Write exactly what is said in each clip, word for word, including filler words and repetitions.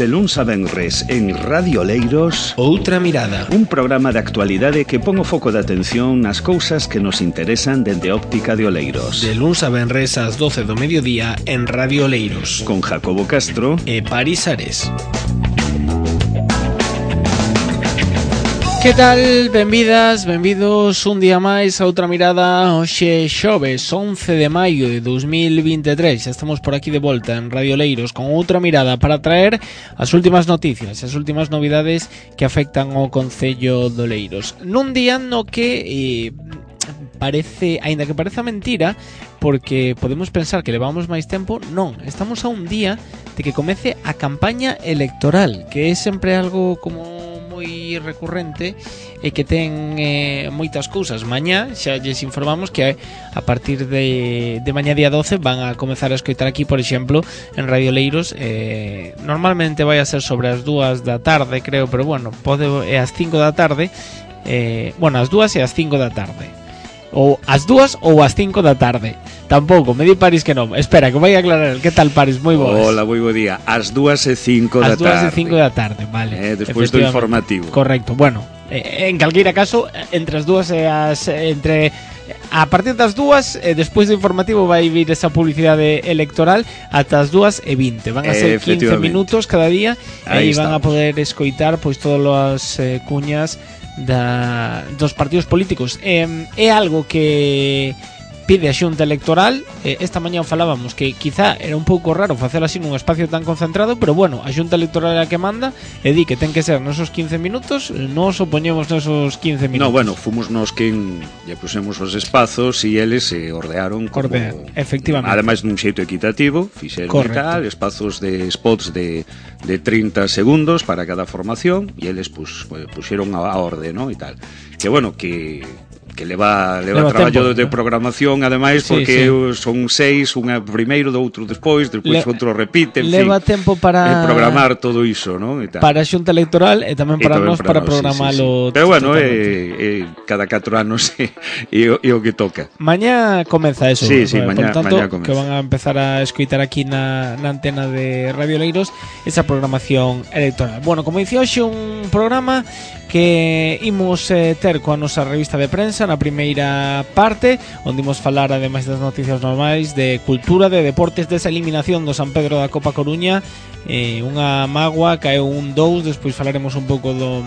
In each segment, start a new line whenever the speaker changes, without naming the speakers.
De luns a venres en Radio Oleiros,
Outra Mirada,
un programa de actualidade que pon o foco de atención nas cousas que nos interesan dende óptica de Oleiros.
De luns a venres ás doce do mediodía en Radio Oleiros,
con Jacobo Castro
e Paris Ares. Que tal? Benvidas, benvidos un día máis a Outra Mirada. Hoxe xoves, once de maio de dos mil vinte e tres. Xa estamos por aquí de volta en Radio Oleiros con Outra Mirada para traer as últimas noticias, as últimas novidades que afectan ao Concello de Oleiros. Nun día no que eh, parece, aínda que pareza mentira, porque podemos pensar que levamos máis tempo, non, estamos a un día de que comece a campaña electoral, que é sempre algo como moi recurrente e que ten eh, moitas cousas. Mañá xa lles informamos que a partir de, de mañá día doce van a comezar a escoitar aquí, por exemplo, en Radio Oleiros. Eh, normalmente vai a ser sobre as dúas da tarde, creo, pero bueno, pode é as cinco da tarde. Eh, bueno, as dúas e as cinco da tarde. Ou as dúas ou as cinco da tarde. Tampouco, me di Paris que non. Espera, que vai a aclarar. Que tal, Paris? Moi boas.
Hola, moi bo día. As dúas e cinco da tarde.
As dúas e cinco da tarde, vale.
Eh, despois do informativo.
Correcto. Bueno, eh, en calqueira caso, entre as dúas e as entre a partir das dúas, eh, despois do informativo vai vir esa publicidade electoral ata as dúas e vinte. Van a ser quince minutos cada día e aí van a poder escoitar pois todas as eh, cuñas da, dos partidos políticos. Eh, é algo que pide a Xunta Electoral. eh, Esta mañá falábamos que quizá era un pouco raro facer así nun espacio tan concentrado, pero bueno, a Xunta Electoral é a que manda e di que ten que ser nosos quince minutos. Nos opoñemos nosos quince minutos.
No, bueno, fomos nos quen lle pusemos os espazos e eles se ordearon como,
Ordea, efectivamente.
Ademais dun xeito equitativo, fixeron e tal, espazos de spots de, de trinta segundos para cada formación e eles pues, pues, puxeron a, a orde, ¿no? E tal. Que bueno, que que leva, leva, leva traballo tempo, de, de programación, ademais, sí, porque sí. Son seis, unha primeiro, outro despois, despois Le, outro repite, en
leva
fin,
tempo para
programar todo iso, ¿no? E tal.
Para a Xunta Electoral e tamén para nós para, para programalo.
Sí, sí, sí. Pero bueno, eh, eh, cada catro anos é eh, eh, o que toca.
Mañá comeza eso.
Sí, sí,
por
mañá,
tanto,
mañá comeza.
Que van a empezar a escoitar aquí na, na antena de Radio Oleiros esa programación electoral. Bueno, como dicía hoxe, un programa que imos eh, ter coa nosa revista de prensa na primeira parte, onde imos falar, ademais das noticias normais, de cultura, de deportes, desa eliminación do San Pedro da Copa Coruña, eh, unha mágoa, caeu un dous, despois falaremos un pouco do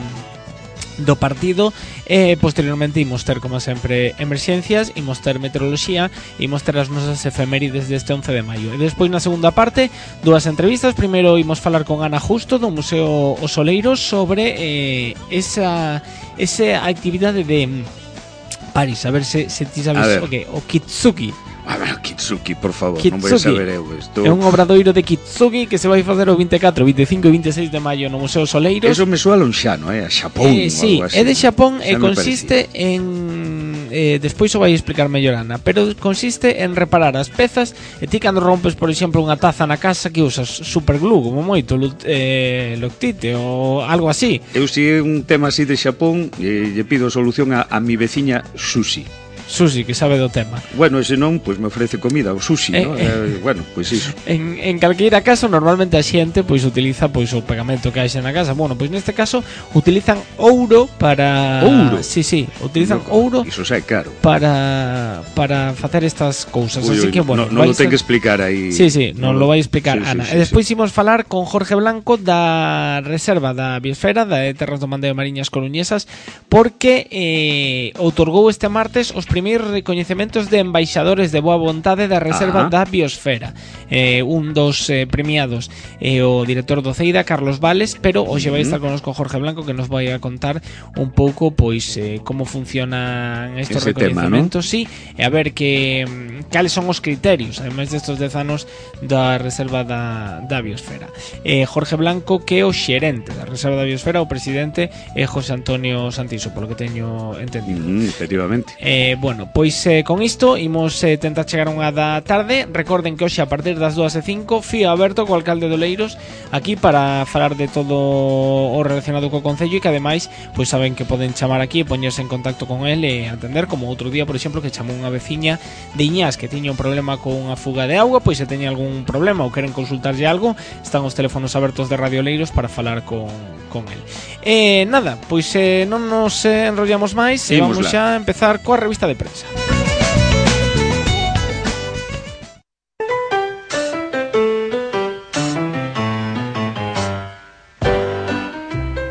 do partido e posteriormente imos ter, como sempre, emerxencias, imos ter meteoroloxía, imos ter as nosas efemérides deste once de maio. E despois, na segunda parte, dúas entrevistas. Primeiro imos falar con Ana Justo do Museo Os Oleiros sobre eh, esa esa actividade de Paris, a ver se, se ti sabes o que, o Kitsuki.
A ver, Kitsuki, por favor,
Kitsuki.
Non vai saber eu isto.
É un obradoiro de Kitsuki que se vai facer o vinte e catro, vinte e cinco e vinte e seis de maio no Museo Soleiros.
Eso me soa lonxano, eh, a Xapón,
eh, sí,
algo así.
É de Xapón e consiste en eh, despois o vai explicar mellor Ana, pero consiste en reparar as pezas e ti cando rompes, por exemplo, unha taza na casa que usas superglue, como moito, eh, Loctite ou algo así.
Eu si é un tema así de Xapón, eh, lle pido solución a, a mi veciña Susi.
Susi, que sabe do tema.
Bueno, e se non, pois pues me ofrece comida, o sushi, eh, ¿no? Eh, bueno, pois pues iso.
En, en calqueira caso, normalmente a xente pois utiliza pois o pegamento que hai na casa. Bueno, pois neste caso utilizan ouro para
Ouro?
Sí, sí, utilizan
no,
ouro.
Iso xa é caro.
Para para facer estas cousas.
Uy,
Así
uy,
que bueno,
non no lo ten que explicar aí.
Sí, sí, non no, lo vai explicar sí, Ana. Sí, sí, e despois sí. Imos falar con Jorge Blanco da Reserva da Biosfera da Terras do Mandeo Mariñas Coruñesas, porque eh, outorgou este martes os primeiros recoñecementos de embaixadores de boa vontade da Reserva Ajá. da Biosfera. Eh, un dos eh, premiados é eh, o director do Ceida, Carlos Vales, pero hoxe vai estar connosco Jorge Blanco, que nos vai a contar un pouco pois eh, como funcionan estos ese recoñecementos, tema, ¿no? Sí, e a ver que cales son os criterios, ademais destos dez anos da Reserva da, da Biosfera. Eh, Jorge Blanco, que é o xerente da Reserva da Biosfera, o presidente é José Antonio Santiso, polo que teño entendido.
Mm, efectivamente.
Eh, bueno, pois eh, con isto imos eh, tentar chegar unha da tarde. Recorden que hoxe a partir das dúas e cinco fío aberto co alcalde de Oleiros aquí para falar de todo o relacionado co concello, e que ademais pois saben que poden chamar aquí e poñerse en contacto con el e atender, como outro día, por exemplo, que chamou unha veciña de Iñás que tiña un problema con unha fuga de auga, pois se teña algún problema ou queren consultarlle algo, están os teléfonos abertos de Radio Oleiros para falar con, con el. E nada, pois eh, non nos eh, enrollamos máis e vamos xa a empezar coa revista de prensa.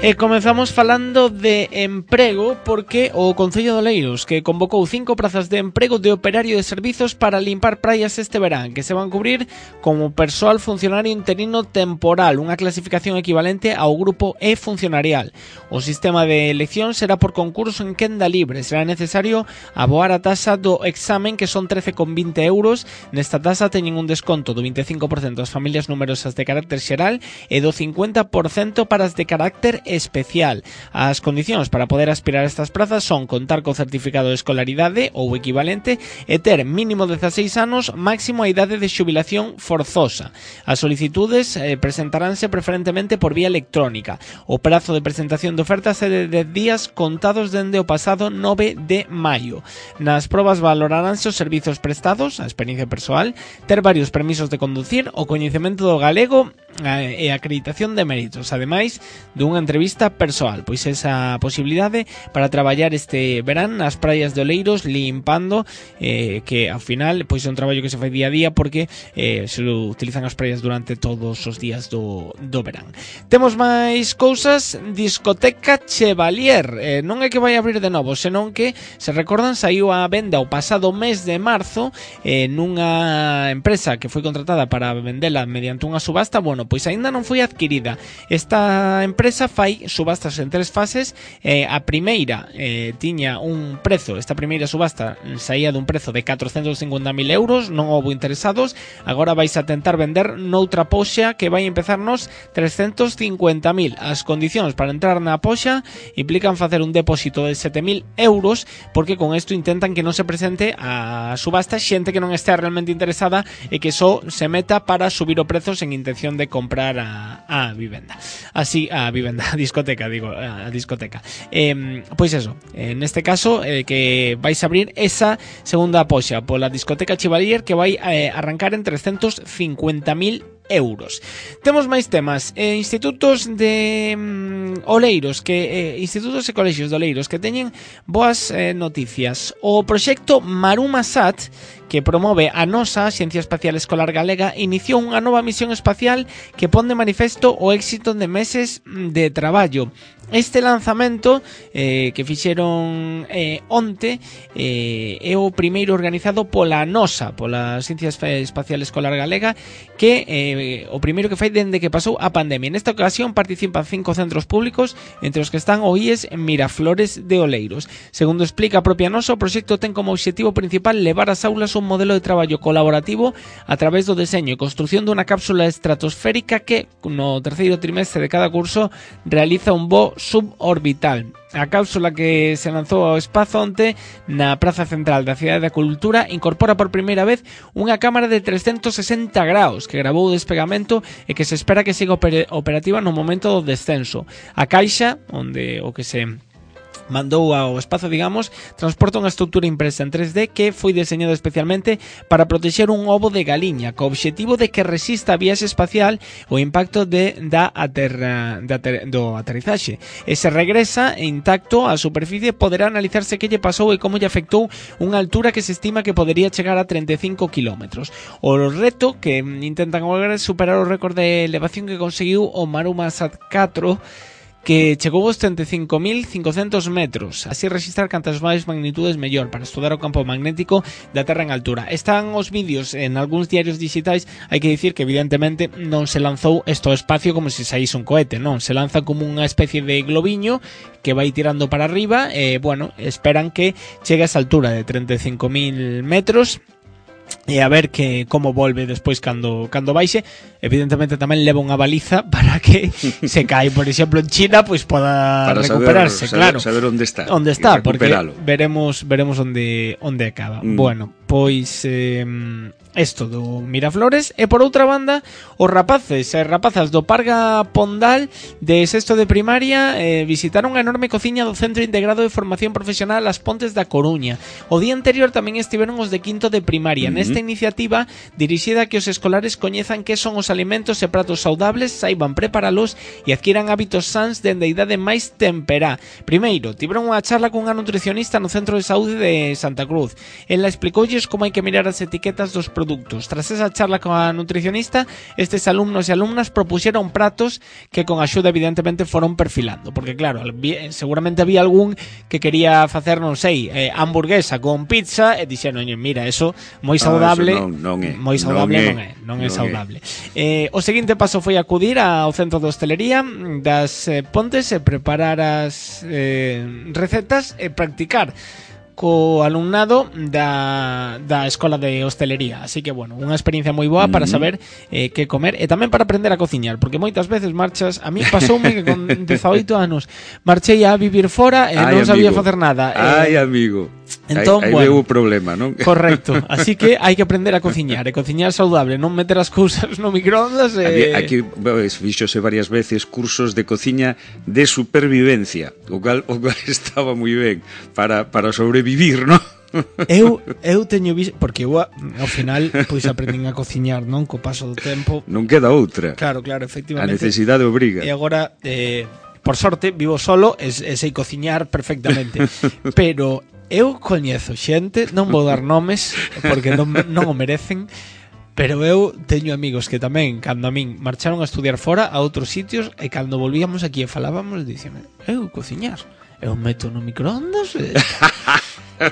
E comezamos falando de emprego, porque o Concello de Oleiros que convocou cinco prazas de emprego de operario de servizos para limpar praias este verán, que se van cubrir como persoal funcionario interino temporal, unha clasificación equivalente ao grupo E funcionarial. O sistema de elección será por concurso en quenda libre. Será necesario aboar a taxa do examen, que son trece con vinte euros. Nesta taxa teñen un desconto do vinte e cinco por cento as familias numerosas de carácter xeral e do cincuenta por cento para as de carácter especial. As condicións para poder aspirar a estas prazas son contar co certificado de escolaridade ou equivalente e ter mínimo dezaseis anos, máximo a idade de xubilación forzosa. As solicitudes eh, presentaránse preferentemente por vía electrónica. O prazo de presentación de ofertas é de dez días contados dende o pasado nove de maio. Nas probas valoraránse os servizos prestados, a experiencia persoal, ter varios permisos de conducir, o coñecemento do galego e a acreditación de méritos, ademais dunha entrevista persoal. Pois esa posibilidade para traballar este verán nas praias de Oleiros limpando, eh, que ao final pois é un traballo que se fai día a día, porque eh, se utilizan as praias durante todos os días do, do verán. Temos máis cousas. Discoteca Chevalier, eh, non é que vai abrir de novo, senón que, se recordan, saiu a venda o pasado mes de marzo eh, nunha empresa que foi contratada para vendela mediante unha subasta. Bueno, pois aínda non foi adquirida. Esta empresa fai subastas en tres fases. Eh, a primeira eh, tiña un prezo, esta primeira subasta saía dun prezo de catrocentos cincuenta mil euros, non houbo interesados. Agora vais a tentar vender noutra poxa que vai empezarnos trescentos cincuenta mil. As condicións para entrar na poxa implican facer un depósito de sete mil euros, porque con isto intentan que non se presente a subasta xente que non estea realmente interesada e que só se meta para subir o prezo sen intención de comprar a, a vivenda. Así, a vivenda, a discoteca, digo, a discoteca. Eh, pois eso, en este caso, eh, que vais a abrir esa segunda poxa pola discoteca Chevalier, que vai eh, arrancar en trescentos cincuenta mil euros. Temos máis temas. eh, Institutos de mm, Oleiros que, eh, Institutos e colexios de Oleiros que teñen boas eh, noticias. O proxecto Marumasat, que promove a nosa Axencia Espacial Escolar Galega, iniciou unha nova misión espacial que pon de manifesto o éxito de meses de traballo. Este lanzamento eh, que fixeron eh, onte eh, é o primeiro organizado pola nosa, pola Axencia Espacial Escolar Galega, que eh, o primeiro que fai dende que pasou a pandemia. Nesta ocasión participan cinco centros públicos, entre os que están o I E S en Miraflores de Oleiros. Segundo explica a propia nosa, o proxecto ten como obxectivo principal levar ás aulas un modelo de traballo colaborativo a través do deseño e construción dunha cápsula estratosférica que no terceiro trimestre de cada curso realiza un voo suborbital. A cápsula que se lanzou ao espazo onte na Praza Central da Cidade da Cultura incorpora por primeira vez unha cámara de trescentos sesenta graus que gravou o despegamento e que se espera que siga oper- operativa no momento do descenso. A caixa, onde o que se mandou ao espazo, digamos, transporta unha estrutura impresa en tres D que foi deseñada especialmente para protexer un ovo de galiña, co obxectivo de que resista a viaxe espacial o impacto de, da aterra, de ater, do aterrizaxe. E se regresa intacto á superficie, poderá analizarse que lle pasou e como lle afectou unha altura que se estima que podería chegar a treinta e cinco kilómetros. O reto que intentan agora é superar o récord de elevación que conseguiu o Marumasat catro, que chegou aos treinta e cinco mil cincocentos metros, así registrar cantas máis magnitudes mellor para estudar o campo magnético da Terra en altura. Están os vídeos en algúns diarios digitais. Hai que dicir que evidentemente non se lanzou isto ao espacio como se saíse un cohete, non, se lanza como unha especie de globiño que vai tirando para arriba e, bueno, esperan que chegue a esa altura de treinta e cinco mil metros e a ver que como volve despois cando cando baixe. Evidentemente tamén leva unha baliza para que se cae, por exemplo, en China, pois poda para recuperarse,
saber,
claro.
Saber onde está.
Onde está, porque veremos veremos onde onde acaba. Mm. Bueno, pois eh, esto do Miraflores. E por outra banda, os rapaces e rapazas do Parga Pondal de sexto de primaria eh, visitaron a enorme cociña do Centro Integrado de Formación Profesional As Pontes da Coruña. O día anterior tamén estiveron os de quinto de primaria. Mm-hmm. Nesta iniciativa dirixida a que os escolares coñezan que son os alimentos e pratos saudables, saiban preparalos e adquiran hábitos sans dende a idade máis temperá. Primeiro, tiveron unha charla cunha nutricionista no Centro de Saúde de Santa Cruz. Ela explicoulles como hai que mirar as etiquetas dos produtos. Tras esa charla coa nutricionista, estes alumnos e alumnas propuxeron pratos que con axuda evidentemente foron perfilando, porque claro, seguramente había algún que quería facer, non sei, eh, hamburguesa con pizza e dixeron, mira, eso moi saudable,
ah, eso non, non é,
moi saudable non é, non é, non é saudable. É. Eh, o seguinte paso foi acudir ao centro de hostelería das eh, Pontes e preparar as eh, recetas e practicar co alumnado da, da escola de hostelería. Así que, bueno, unha experiencia moi boa para saber eh, que comer e tamén para aprender a cociñar, porque moitas veces marchas, a mí pasoume que con dezaoito anos marchei a vivir fora e Ay, non sabía amigo. facer nada.
Ai, eh, amigo.
Entón,
aí, aí
bueno,
veo o problema, non?
Correcto. Así que hai que aprender a cociñar, e cociñar saudable, non meter as cousas no microondas e...
Aquí, fíxose varias veces cursos de cociña de supervivencia, o cual, o cual estaba moi ben para, para sobrevivir, non?
Eu, eu teño visto, porque eu ao final pois aprendín a cociñar, non? Co paso do tempo.
Non queda outra.
Claro, claro, efectivamente.
A necesidade obriga.
E agora, eh, por sorte, vivo solo e, e sei cociñar perfectamente. Pero eu coñezo xente, non vou dar nomes porque non, non o merecen, pero eu teño amigos que tamén, cando a min marcharon a estudiar fora a outros sitios, e cando volvíamos aquí e falábamos, dicíame, eu cociñar, eu meto no microondas e...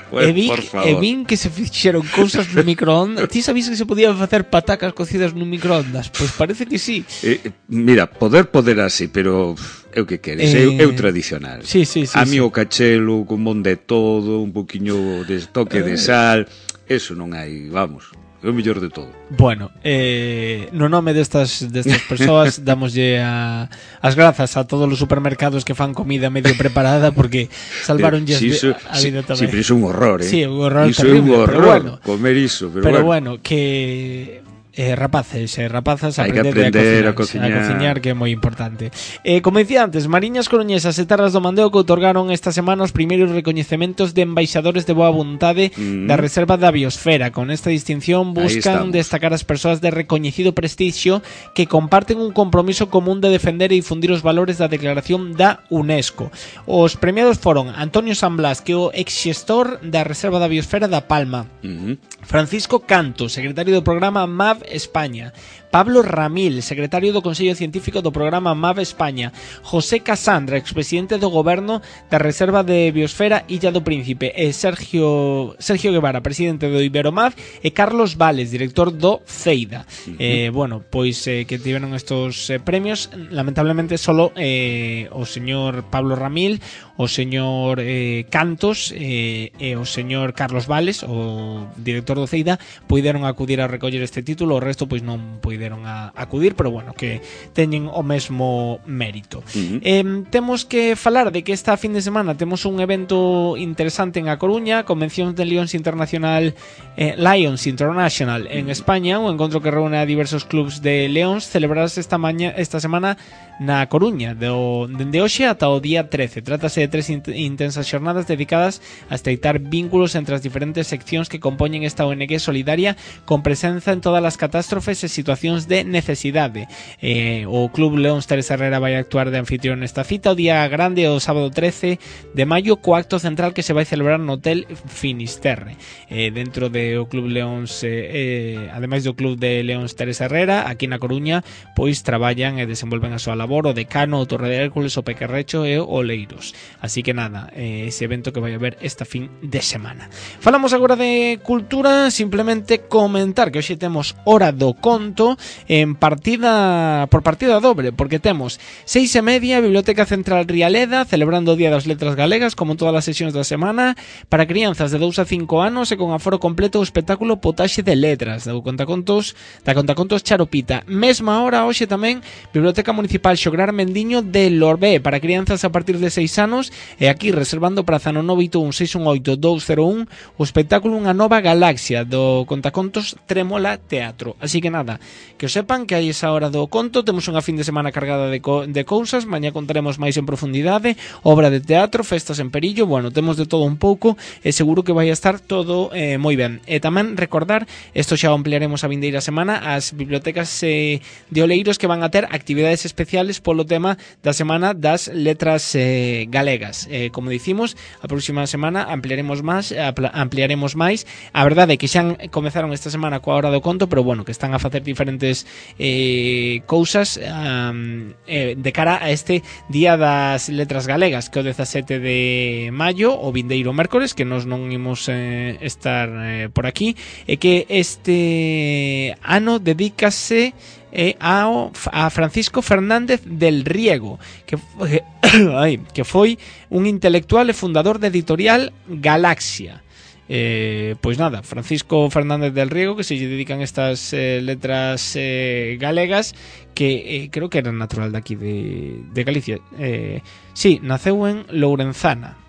Pues, e, vi, e vin que se fixeron cousas no microondas. Ti sabías que se podían facer patacas cocidas no microondas? Pois pues parece que sí.
eh, Mira, poder poder así, pero eu que queres, eh... eu, eu tradicional.
Sí, sí, sí,
a mí
sí.
O cachelo, con mon de todo, un poquinho de toque de sal, eso non hai, vamos, é o mellor de todo.
Bueno, eh, no nome destas destas persoas damoslle a, as grazas a todos os supermercados que fan comida medio preparada, porque salvaronlle
si eso,
a vida tamén.
Si, pero iso é un horror, eh?
Sí, un horror
iso
terrible,
é un horror,
pero bueno,
comer iso, pero,
pero
bueno.
bueno, que eh, rapaces e eh, rapazas
hai que aprender
a
cociñar,
a cociñar, que é moi importante. Eh, como dicía antes, Mariñas Coruñesas e Terras do Mandeo que outorgaron esta semana os primeiros recoñecementos de embaixadores de boa vontade mm. da Reserva da Biosfera. Con esta distinción buscan destacar as persoas de recoñecido prestixio que comparten un compromiso común de defender e difundir os valores da declaración da UNESCO. Os premiados foron Antonio San Blas, que é o exxestor da Reserva da Biosfera da Palma, mm-hmm. Francisco Canto, secretario do programa M A V España, Pablo Ramil, secretario do Consello Científico do programa M A V España, José Casandra, expresidente do Goberno da Reserva de Biosfera Illa do Príncipe, e Sergio Sergio Guevara, presidente do Iberomav, e Carlos Vales, director do CEIDA. Uh-huh. Eh, bueno, pois eh, que tiveron estos eh, premios, lamentablemente solo eh, o señor Pablo Ramil, o señor eh, Cantos eh, e o señor Carlos Vales, o director do CEIDA, puideron acudir a recoller este título, o resto pois non puideron a acudir, pero bueno, que teñen o mesmo mérito. Uh-huh. eh, Temos que falar de que esta fin de semana temos un evento interesante en A Coruña, Convención de Lions Internacional, eh, Lions International en uh-huh. España, un encontro que reúne a diversos clubs de Leóns, celebrarase esta maña, esta semana na Coruña, do, dende hoxe ata o día trece. Trátase de tres int- intensas xornadas dedicadas a estreitar vínculos entre as diferentes seccións que compoñen esta O N G solidaria, con presenza en todas as catástrofes e situacións de necesidade. Eh, o Club Leóns Teresa Herrera vai actuar de anfitrión nesta cita o día grande, o sábado trece de maio, co acto central que se vai celebrar no Hotel Finisterre. Eh, dentro de o Club Leóns, eh, eh, ademais do Club de Leóns Teresa Herrera, aquí na Coruña, pois traballan e desenvolven a súa labor o Decano, o Torre de Hércules, o Pequerrecho e o Oleiros. Así que nada, eh, ese evento que vai haber esta fin de semana. Falamos agora de cultura, simplemente comentar que hoxe temos hora do conto en partida por partida doble, porque temos seis e media Biblioteca Central Rialeda celebrando o Día das Letras Galegas como todas as sesións da semana para crianzas de dous a cinco anos e con aforo completo o espectáculo Potaxe de Letras do contacontos da contacontos Charopita. Mesma hora hoxe tamén Biblioteca Municipal Xograr Mendiño de Lorbé para crianzas a partir de seis anos e aquí reservando praza no nove oito un seis un oito dous cero un o espectáculo Unha Nova Galaxia do contacontos Trémola Teatro. Así que nada, que os sepan que hai esa hora do conto, temos unha fin de semana cargada de, co de cousas, mañá contaremos máis en profundidade, obra de teatro, festas en Perillo, bueno, temos de todo un pouco e seguro que vai a estar todo eh, moi ben. E tamén recordar, isto xa o ampliaremos a vindeira semana, as bibliotecas eh, de Oleiros que van a ter actividades especiales polo tema da Semana das Letras eh, Galegas. Eh, como dicimos, a próxima semana ampliaremos máis, ampliaremos máis. A verdade é que xa comezaron esta semana coa hora do conto, pero bueno, que están a facer diferentes eh, cousas um, eh, de cara a este Día das Letras Galegas, que é o dezasete de maio, o vindeiro mércores, que nos non imos eh, estar eh, por aquí, e que este ano dedícase eh, a, a Francisco Fernández del Riego, que, eh, ay, que foi un intelectual e fundador de editorial Galaxia. Eh, pois nada, Francisco Fernández del Riego, que se lle dedican estas eh, letras eh, galegas, que eh, creo que era natural daqui de, de Galicia. Eh, sí, naceu en Lourenzana,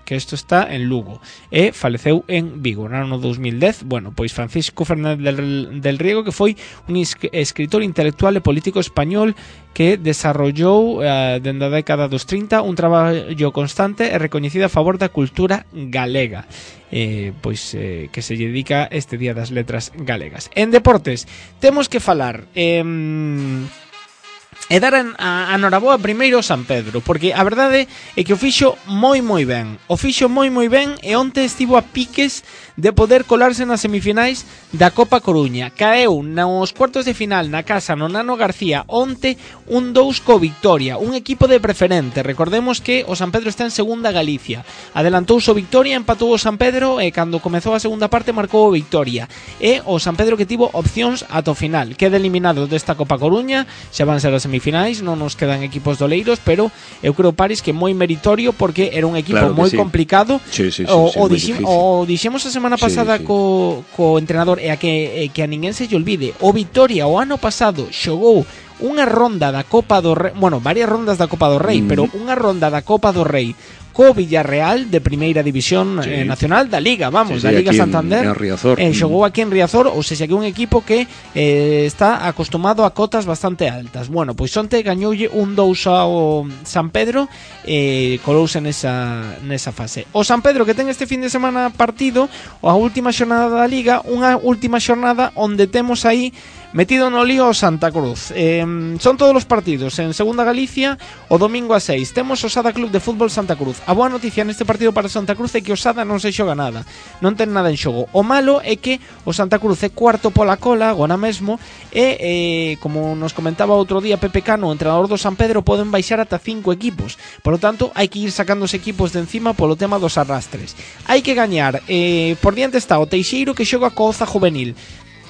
que isto está en Lugo, e faleceu en Vigo no ano dos mil dez. Bueno, pois Francisco Fernández del, del Riego, que foi un escritor intelectual e político español que desarrollou eh, dende a década dos trinta un traballo constante e recoñecido a favor da cultura galega. Eh, pois eh, que se lle dedica este Día das Letras Galegas. En deportes temos que falar eh, e dar a, a noraboa primeiro ao San Pedro, porque a verdade é que o fixo moi moi ben, o fixo moi moi ben, e onte estivo a piques de poder colarse nas semifinais da Copa Coruña. Caeu nos cuartos de final na casa no Nano García onte un dous co Victoria, un equipo de preferente. Recordemos que o San Pedro está en segunda Galicia, adelantouse o Victoria, empatou o San Pedro e cando comezou a segunda parte marcou o Victoria, e o San Pedro que tivo opcións ata o final. Queda eliminado desta Copa Coruña, xa van ser as semifinais, non nos quedan equipos doleiros, pero eu creo, Paris, que moi meritorio, porque era un equipo claro moi sí. complicado.
Sí, sí, sí,
o,
sí,
o, dixim, o dixemos a semana pasada sí, sí. Co, co entrenador, e a que, e que a ninguén se lle olvide, o Victoria o ano pasado xogou unha ronda da Copa do Rei, bueno, varias rondas da Copa do Rei, mm. pero unha ronda da Copa do Rei co Villarreal de primeira división sí. eh, nacional da Liga, vamos, sí, sí, da Liga Santander, en, en Riazor. Eh, xogou aquí en Riazor, ou seja, que un equipo que eh, está acostumado a cotas bastante altas. Bueno, pois onte gañoulle un dous ao San Pedro e eh, colouse nesa, nesa fase. O San Pedro que ten este fin de semana partido, a última xornada da Liga, unha última xornada onde temos aí metido no lío o Santa Cruz. Eh, son todos os partidos en Segunda Galicia o domingo a seis. Temos o Sada Club de Fútbol Santa Cruz. A boa noticia neste partido para Santa Cruz é que o Sada non se xoga nada, non ten nada en xogo. O malo é que o Santa Cruz é cuarto pola cola agora mesmo e, eh, como nos comentaba outro día Pepe Cano, o entrenador do San Pedro, poden baixar ata cinco equipos. Por lo tanto, hai que ir sacando os equipos de encima polo tema dos arrastres. Hai que gañar. Eh, por diante está o Teixeiro, que xoga co Oza Juvenil.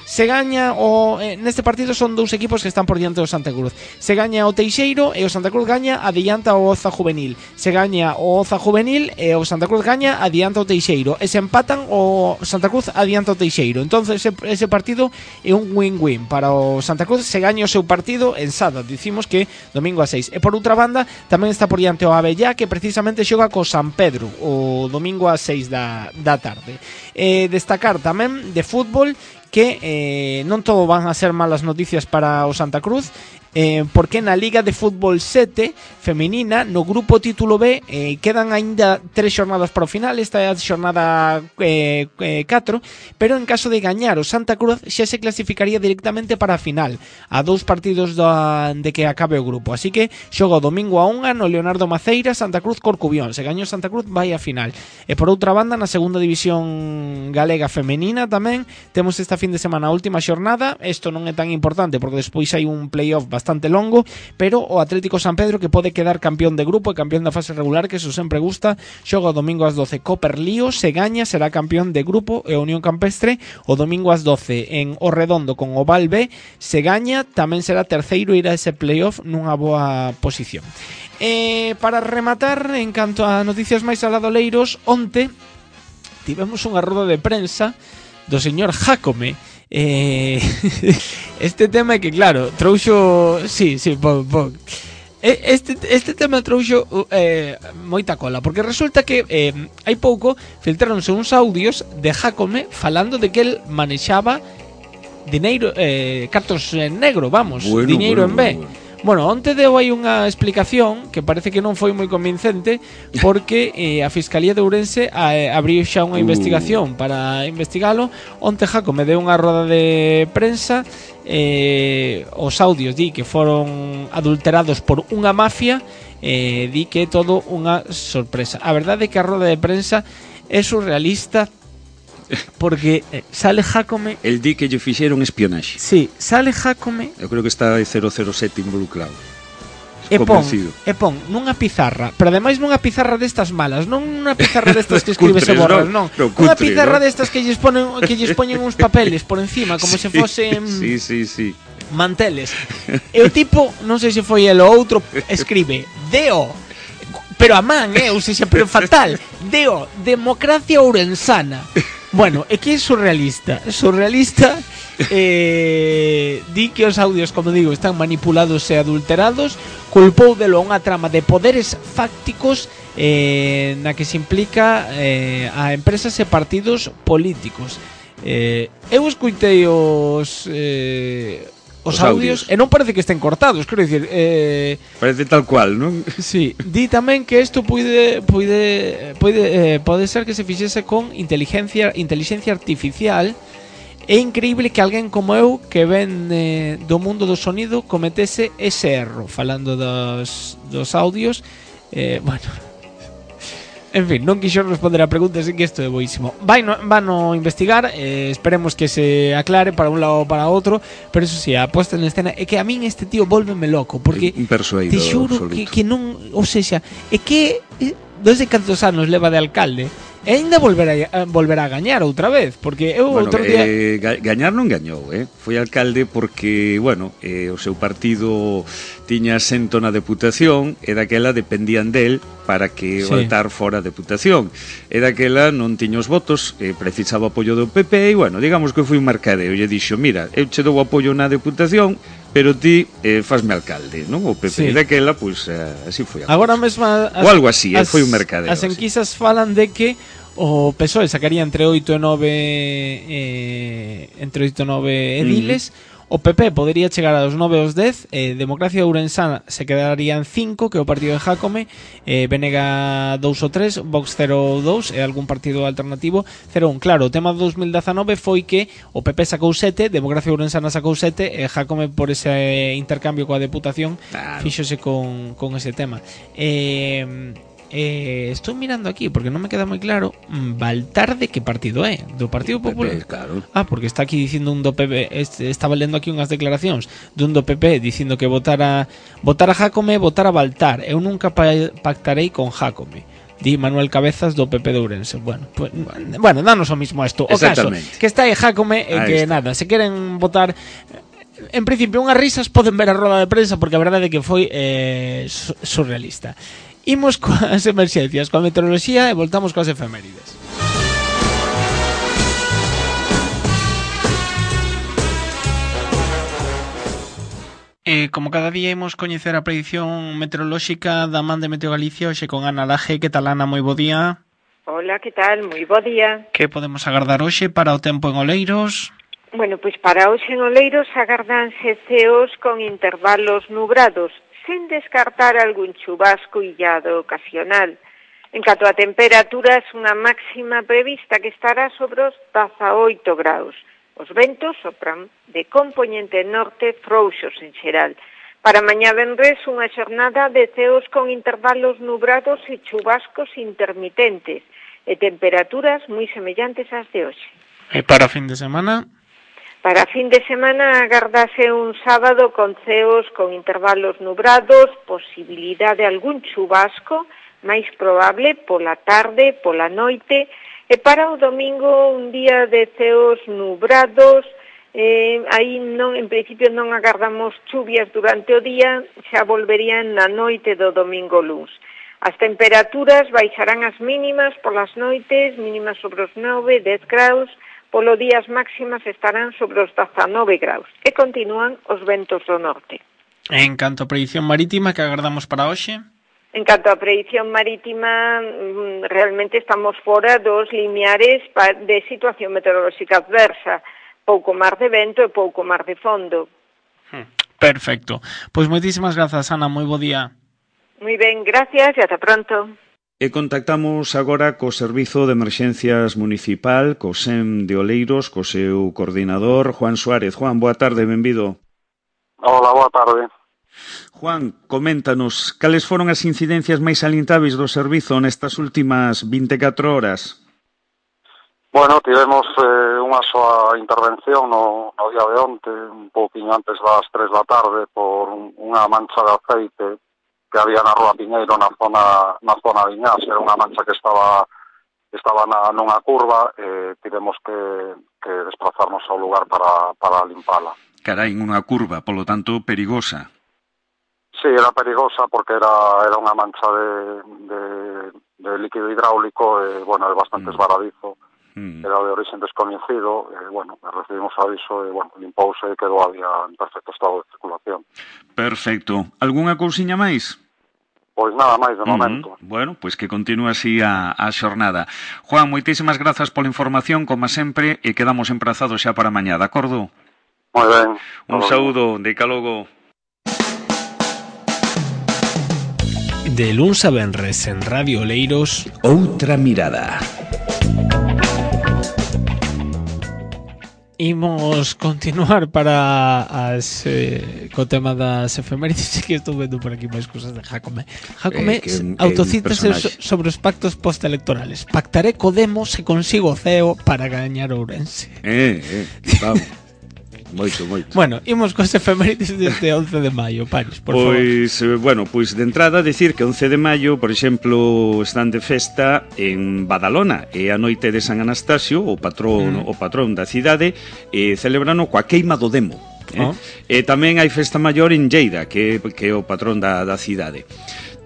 Se gaña o eh, neste partido son dous equipos que están por diante do Santa Cruz. Se gaña o Teixeiro e o Santa Cruz gaña, adianta o Oza Juvenil. Se gaña o Oza Juvenil e o Santa Cruz gaña, adianta o Teixeiro. E se empatan, o Santa Cruz adianta o Teixeiro. Entonces ese, ese partido é un win-win para o Santa Cruz. Se gaña o seu partido en Sada, dicimos que domingo a seis. E por outra banda tamén está por diante o Avellá, que precisamente xoga co San Pedro o domingo a seis da, da tarde. E destacar tamén de fútbol que eh, non todo van a ser malas noticias para o Santa Cruz, eh, porque na Liga de Fútbol sete feminina, no grupo título B, eh, quedan aínda tres xornadas para o final. Esta é a xornada eh, eh, catro, pero en caso de gañar o Santa Cruz xa se clasificaría directamente para a final, a dous partidos da, de que acabe o grupo. Así que xoga o domingo a unha no Leonardo Maceira, Santa Cruz Corcubión. Se gaña o Santa Cruz vai a final. E por outra banda, na segunda división galega femenina tamén temos esta fin de semana a última xornada. Isto non é tan importante porque despois hai un playoff bastante longo, pero o Atlético San Pedro que pode quedar campeón de grupo e campeón da fase regular, que eso sempre gusta, xoga o domingo ás doce co Perlío, se gaña será campeón de grupo e a Unión Campestre o domingo ás doce en O Redondo con o Val B, se gaña tamén será terceiro e irá ese playoff nunha boa posición. Eh, para rematar, en canto a noticias máis aladoleiros, onte tivemos unha roda de prensa do señor Jácome. Eh, este tema é que, claro, trouxo... Sí, sí, po, po. Este, este tema trouxo eh, moita cola, porque resulta que eh, hai pouco filtráronse uns audios de Jácome falando de que el manexaba dineiro, eh, cartos en negro, vamos,
bueno,
diñeiro
bueno,
en B.
bueno, bueno.
Bueno, onte deu aí unha explicación que parece que non foi moi convincente, porque eh, a Fiscalía de Ourense eh, abriu xa unha uh. investigación para investigalo. Onte Jácome deu unha roda de prensa, eh, os audios di que foron adulterados por unha mafia, eh, di que é todo unha sorpresa. A verdade é que a roda de prensa é surrealista, porque eh, sale Jácome...
El di que lle fixeron espionaxe.
Sí, sale Jácome...
Eu creo que está cero cero sete involucrado.
E pon, e pon nunha pizarra, pero ademais nunha pizarra destas malas, non unha pizarra destas que escribes e borras, non, non. Unha pizarra ¿no? destas que lles ponen que lles poñen uns papeles por encima como sí, se fosen
sí, sí, sí.
manteles. E o tipo, non sei se foi el ou outro, escribe Deo, pero a man, eh, ou seja, pero fatal, Deo, democracia ourensana. Bueno, é que é surrealista Surrealista eh, di que os audios, como digo, están manipulados e adulterados. Culpou delo a unha trama de poderes fácticos eh, na que se implica eh, a empresas e partidos políticos. eh, Eu escuitei os eh, Os, os audios, audios, e non parece que estén cortados, quero dicir, eh,
parece tal cual, non?
Sí, di tamén que isto pode pode pode eh, pode ser que se fixese con inteligencia inteligencia artificial. É increíble que alguén como eu, que ven eh, do mundo do sonido, cometese ese erro falando dos dos audios. Eh, bueno, en fin, non quixo responder a pregunta, así que isto é boísimo. Vai no, van a investigar, eh, esperemos que se aclare para un lado ou para outro, pero eso sí, a posta en escena é que a min este tío vólveme loco, porque te xuro que, que non, ou seja, é que eh, desde cantos anos leva de alcalde e ainda volverá a, volverá a gañar outra vez, porque eu
bueno,
outro día
eh, gañar non gañou, eh? Foi alcalde porque, bueno, eh, o seu partido tiña asento na deputación e daquela dependían del para que sí. o altar fora a deputación, e daquela non tiña os votos, eh, precisaba apoio do P P e, bueno, digamos que foi un mercadeo, e dixo, mira, eu che dou apoio na deputación, pero ti eh, fasme alcalde, non? O P P, sí. E daquela, pois, eh, así foi a
agora mesmo as,
ou algo así, as, eh, foi un mercadeo.
As enquisas así. Falan de que o P S O E sacaría entre oito e nove eh, entre oito e nove ediles. Mm-hmm. O P P podería chegar aos nove aos dez, eh, Democracia Ourensana se quedaría en cinco, que é o partido de Jácome, eh, Benega dous ou tres, Vox cero ou dous e algún partido alternativo cero un. Claro, o tema do dos mil dezanove foi que o P P sacou sete, Democracia Ourensana sacou sete e Jácome, por ese intercambio coa deputación, claro, fíxose con, con ese tema. Eh... Eh, estou mirando aquí porque non me queda moi claro. Baltar de que partido é? Do Partido Popular?
P P, claro.
Ah, porque está aquí dicindo un do P P. Este, estaba lendo aquí unhas declaracións dun do P P dicindo que votara votar a Jácome, votar a Baltar. Eu nunca pactarei con Jácome, di Manuel Cabezas do P P de Ourense. Bueno, pues, bueno, danos o mismo isto. O caso que está aí Jácome e eh, que está. Nada, se queren votar. En principio, unhas risas poden ver a roda de prensa porque a verdade é que foi eh, surrealista. Imos coas emerxencias, coa meteoroloxía e voltamos coas efemérides. E como cada día imos coñecer a predición meteorolóxica da man de Meteo Galicia, hoxe con Ana Laje. Que tal, Ana? Moi bo día.
Hola, que tal? Moi bo día.
Que podemos agardar hoxe para o tempo en Oleiros?
Bueno, pois para hoxe en Oleiros agardanse ceos con intervalos nubrados, sen descartar algún chubasco illado ocasional. En canto a temperaturas, unha máxima prevista que estará sobre os dezaoito graus. Os ventos sopran de compoñente norte frouxos en xeral. Para mañá venres, unha xornada de ceos con intervalos nubrados e chubascos intermitentes e temperaturas moi semellantes ás de hoxe.
E para fin de semana?
Para fin de semana agardase un sábado con ceos con intervalos nubrados, posibilidad de algún chubasco, máis probable pola tarde, pola noite, e para o domingo un día de ceos nubrados, eh, aí non, en principio non agardamos chuvias durante o día, xa volverían na noite do domingo luns. As temperaturas baixarán as mínimas polas noites, mínimas sobre os nove, dez graus, polo día as máximas estarán sobre os dezanove graus e continúan os ventos do norte.
En canto a predición marítima que agardamos para hoxe?
En canto a predición marítima, realmente estamos fora dos limiares de situación meteorolóxica adversa, pouco mar de vento e pouco mar de fondo.
Perfecto. Pois moitísimas grazas, Ana, moi bo día.
Moi ben, gracias e ata pronto.
E contactamos agora co Servizo de Emerxencias Municipal, co S E M de Oleiros, co seu coordinador, Juan Suárez. Juan, boa tarde, benvido.
Hola, boa tarde.
Juan, coméntanos, cales foron as incidencias máis salientáveis do servizo nestas últimas vinte e catro horas?
Bueno, tivemos eh, unha soa intervención no, no día de onte, un pouquinho antes das tres da tarde, por unha mancha de aceite que había na Rúa Piñeiro na zona na zona de Iñás. Era unha mancha que estaba estaba na nunha curva e tivemos que, que desplazarnos ao lugar para, para limpala.
Carai, unha curva, polo tanto, perigosa.
Sí, era perigosa porque era era unha mancha de, de, de líquido hidráulico e, bueno, é bastante mm. esvaradizo. Mm. Era de origen descoñecido, e, bueno, recibimos aviso e, bueno, limpouse e quedou a día en perfecto estado de circulación.
Perfecto. Algúnha cousiña máis?
Pois nada máis de momento.
Uh-huh. Bueno, pois que continúe así a, a xornada. Juan, moitísimas grazas pola información, como sempre, e quedamos emprazados xa para mañá, de acordo?
Moi ben.
Un saúdo, de calogo.
De luns a venres en Radio Oleiros,
Outra Mirada.
Imos continuar para as eh, co tema das efemérides, que estou vendo por aquí máis cousas de Jacome. Jacome eh, autocítase so, sobre os pactos postelectorales. Pactaré co Demos se consigo o C E O para gañar Ourense.
Eh, eh, vamos. Moito, moito.
Bueno, imos cos efemérides deste once de maio, Paris, por
pois,
favor.
Pois, bueno, pois de entrada decir que once de maio, por exemplo, están de festa en Badalona, e a noite de San Anastasio, o patrón, mm. o patrón da cidade, e celebrano coa queima do demo. Eh? Oh. E tamén hai festa maior en Lleida, que, que é o patrón da, da cidade.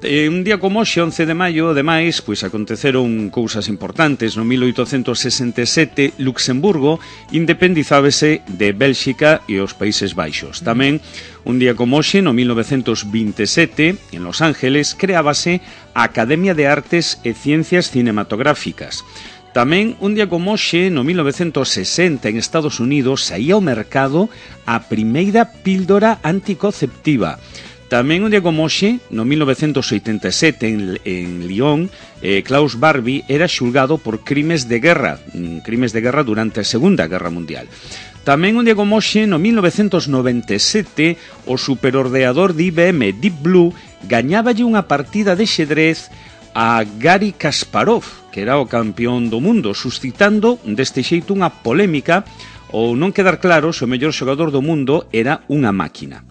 Eh, un día como hoxe, once de maio, ademais, pois aconteceron cousas importantes. No mil oitocentos sesenta e sete, Luxemburgo independizábase de Bélxica e os Países Baixos. Tamén, un día como hoxe, no mil novecentos vinte e sete, en Los Ángeles, creábase a Academia de Artes e Ciencias Cinematográficas. Tamén, un día como hoxe, no mil novecentos sesenta, en Estados Unidos, saía ao mercado a primeira píldora anticonceptiva. Tamén un día como hoxe, no mil novecentos oitenta e sete, en, en Lyon, eh, Klaus Barbie era xulgado por crimes de guerra, crimes de guerra durante a Segunda Guerra Mundial. Tamén un día como hoxe, no mil novecentos noventa e sete, o superordenador de I B M Deep Blue gañáballe unha partida de xedrez a Garry Kasparov, que era o campeón do mundo, suscitando deste xeito unha polémica ou non quedar claro se o mellor xogador do mundo era unha máquina.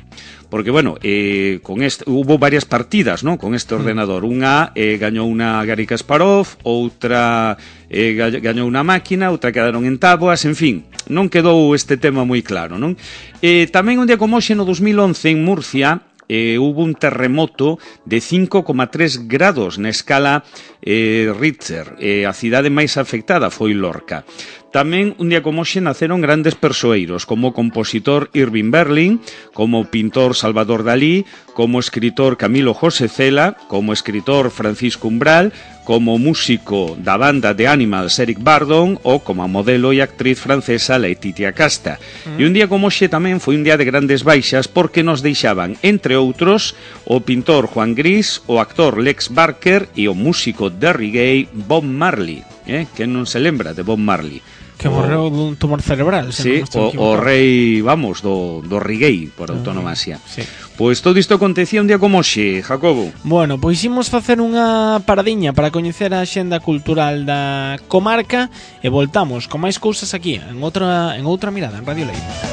Porque, bueno, eh, con este, hubo varias partidas, ¿no?, con este ordenador. Unha eh, gañou unha Garry Kasparov, outra eh, gañou unha máquina, outra quedaron en táboas, en fin, non quedou este tema moi claro, non? Eh, tamén un día como hoxe, no dos mil once, en Murcia, eh, hubo un terremoto de cinco coma tres grados na escala eh, Richter. Eh, a cidade máis afectada foi Lorca. Tamén, un día como hoxe, naceron grandes persoeiros, como o compositor Irving Berlin, como o pintor Salvador Dalí, como o escritor Camilo José Cela, como o escritor Francisco Umbral, como o músico da banda de Animals Eric Burdon, ou como a modelo e actriz francesa Laetitia Casta. Mm. E un día como hoxe tamén foi un día de grandes baixas, porque nos deixaban, entre outros, o pintor Juan Gris, o actor Lex Barker e o músico de reggae Bob Marley. Eh? Que non se lembra de Bob Marley?
Que morreu dun tumor cerebral.
Sí, o, o rei, vamos, do, do Riguei, por autonomasia. Sí. Pois todo isto acontecía un día como hoxe, Jacobo.
Bueno, pois imos facer unha paradiña para coñecer a axenda cultural da comarca e voltamos con máis cousas aquí, en outra, en outra mirada, en Radio Leiro.